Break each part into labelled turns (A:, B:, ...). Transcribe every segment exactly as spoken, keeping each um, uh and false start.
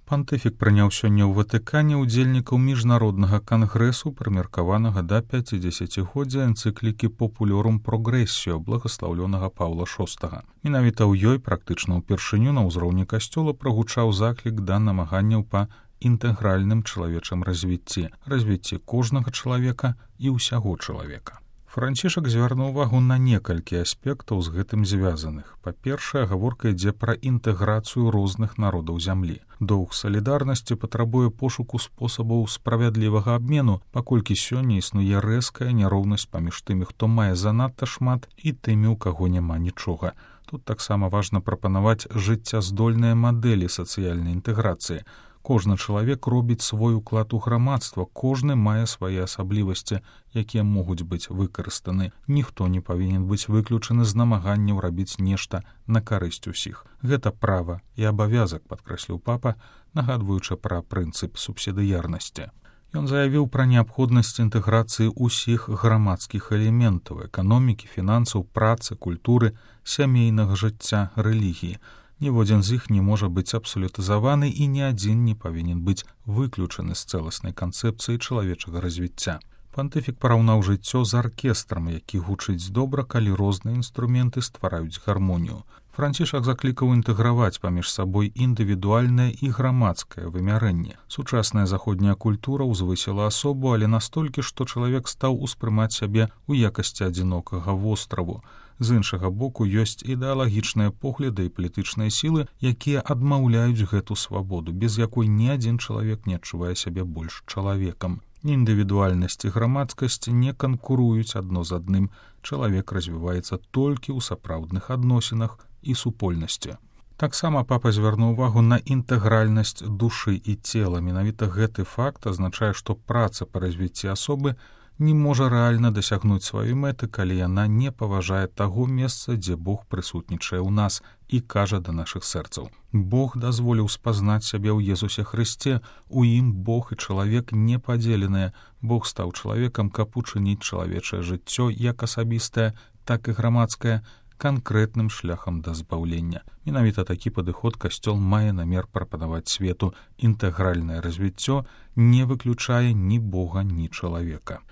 A: Пантыфік прыняў сёння ў Ватыкане ўдзельнікаў міжнароднага кангрэсу, прымеркаванага да пяцідзесяцігоддзя энцыклікі «Populorum Progressio» благаслаўлёнага Паўла шостага. Менавіта ў ёй практычна ўпершыню на ўзроўні касцёла прагучаў заклік да намаганняў па інтэгральным чалавечым развіцці, развіцці кожнага чалавека і ўсяго чалавека. Францішак звярнуў увагу на некалькі аспектаў з гэтым звязаных. Па-першае, гаворка ідзе пра інтэграцыю розных народаў зямлі. Доўг салідарнасці патрабуе пошуку спосабаў справядлівага абмену, паколькі сёння існуе рэзкая няроўнасць паміж тымі, хто мае занадта шмат, і тымі, у каго няма нічога. Тут таксама важна прапанаваць жыццяздольныя мадэлі сацыяльнай інтэграцыі. Кожны чалавек робіць свой уклад у грамадства, кожны мае свае асаблівасці, якія могуць быць выкарыстаны. Ніхто не павінен быць выключаны з намаганняў рабіць нешта на карысць усіх. Гэта права і абавязак, падкрэсліў папа, нагадваючы пра прынцып субсідыярнасці. Ён заявіў пра неабходнасць інтэграцыі ўсіх грамадскіх элементаў эканомікі, фінансаў, працы, культуры, сямейнага жыцця, рэлігіі. Ніводзін з іх не можа быць абсалютызаваны і ні адзін не павінен быць выключаны з цэласнай канцэпцыі чалавечага развіцця. Пантыфік параўнаў жыццё з аркестрам, які гучыць добра, калі розныя інструменты ствараюць гармонію. Францішак заклікаў інтэграваць паміж сабой індывідуальнае і грамадскае вымярэнне. Сучасная заходняя культура ўзвысіла асобу, але настолькі, што чалавек стаў успрымаць сябе ў якасці адзінокага востраву. З іншага боку, ёсць ідэалагічныя погляды і палітычныя сілы, якія адмаўляюць гэту свабоду, без якой ні адзін чалавек не адчувае сябе больш чалавекам. Індывідуальнасць і грамадскасць не канкуруюць адно з адным. Чалавек развіваецца толькі ў сапраўдных адносінах і супольнасці. Таксама папа звярнуў увагу на інтэгральнасць душы і цела. Менавіта гэты факт азначае, што праца па развіцці асобы не можа рэальна дасягнуць сваёй мэты, калі яна не паважае таго месца, дзе Бог прысутнічае ў нас і кажа да нашых сэрцаў. Бог дазволіў спазнаць сябе ў Езусе Хрысце, у ім Бог і чалавек не падзеленыя. Бог стаў чалавекам, каб учыніць чалавечае жыццё як асабістае, так і грамадскае, канкрэтным шляхам да збаўлення. Менавіта такі падыход касцёл мае намер прапанаваць свету. Інтэгральнае развіццё не выключае ні Бога, ні чалавека.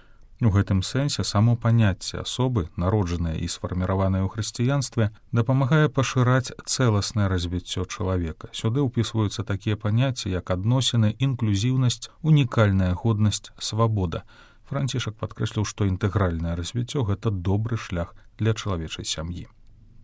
A: У гэтым сэнсе само паняцце асобы, народжанае і сфарміраванае ў хрысціянстве, дапамагае пашыраць цэласнае развіццё чалавека. Сюды ўпісваюцца такія паняцці, як адносіны, інклюзіўнасць, унікальная годнасць, свабода. Францішак падкрэсліў, што інтэгральнае развіццё — гэта добры шлях для чалавечай сям'і.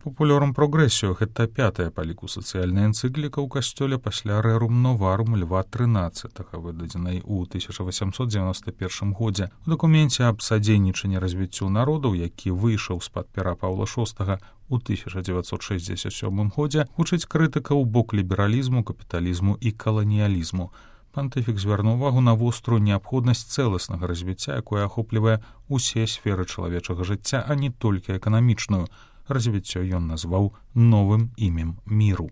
A: «Populorum Progressio» — гэта пятая па ліку сацыяльная энцыкліка ў касцёле пасля «Rerum Novarum» Льва трынаццатага, выдадзенай у тысяча васямсот дзевяноста першым годзе. У дакуменце аб садзейнічанні развіццю народаў, які выйшаў з-пад пера Паўла шостага у тысяча дзевяцьсот шэсцьдзесят сёмым годзе, гучыць крытыка ў бок лібералізму, капіталізму і каланіялізму. Пантыфік звярнуў увагу на вострую неабходнасць цэласнага развіцця, якое ахоплівае ўсе сферы чалавечага жыцця, а не толькі эканамічную. Развіццё ён назваў новым імем міру.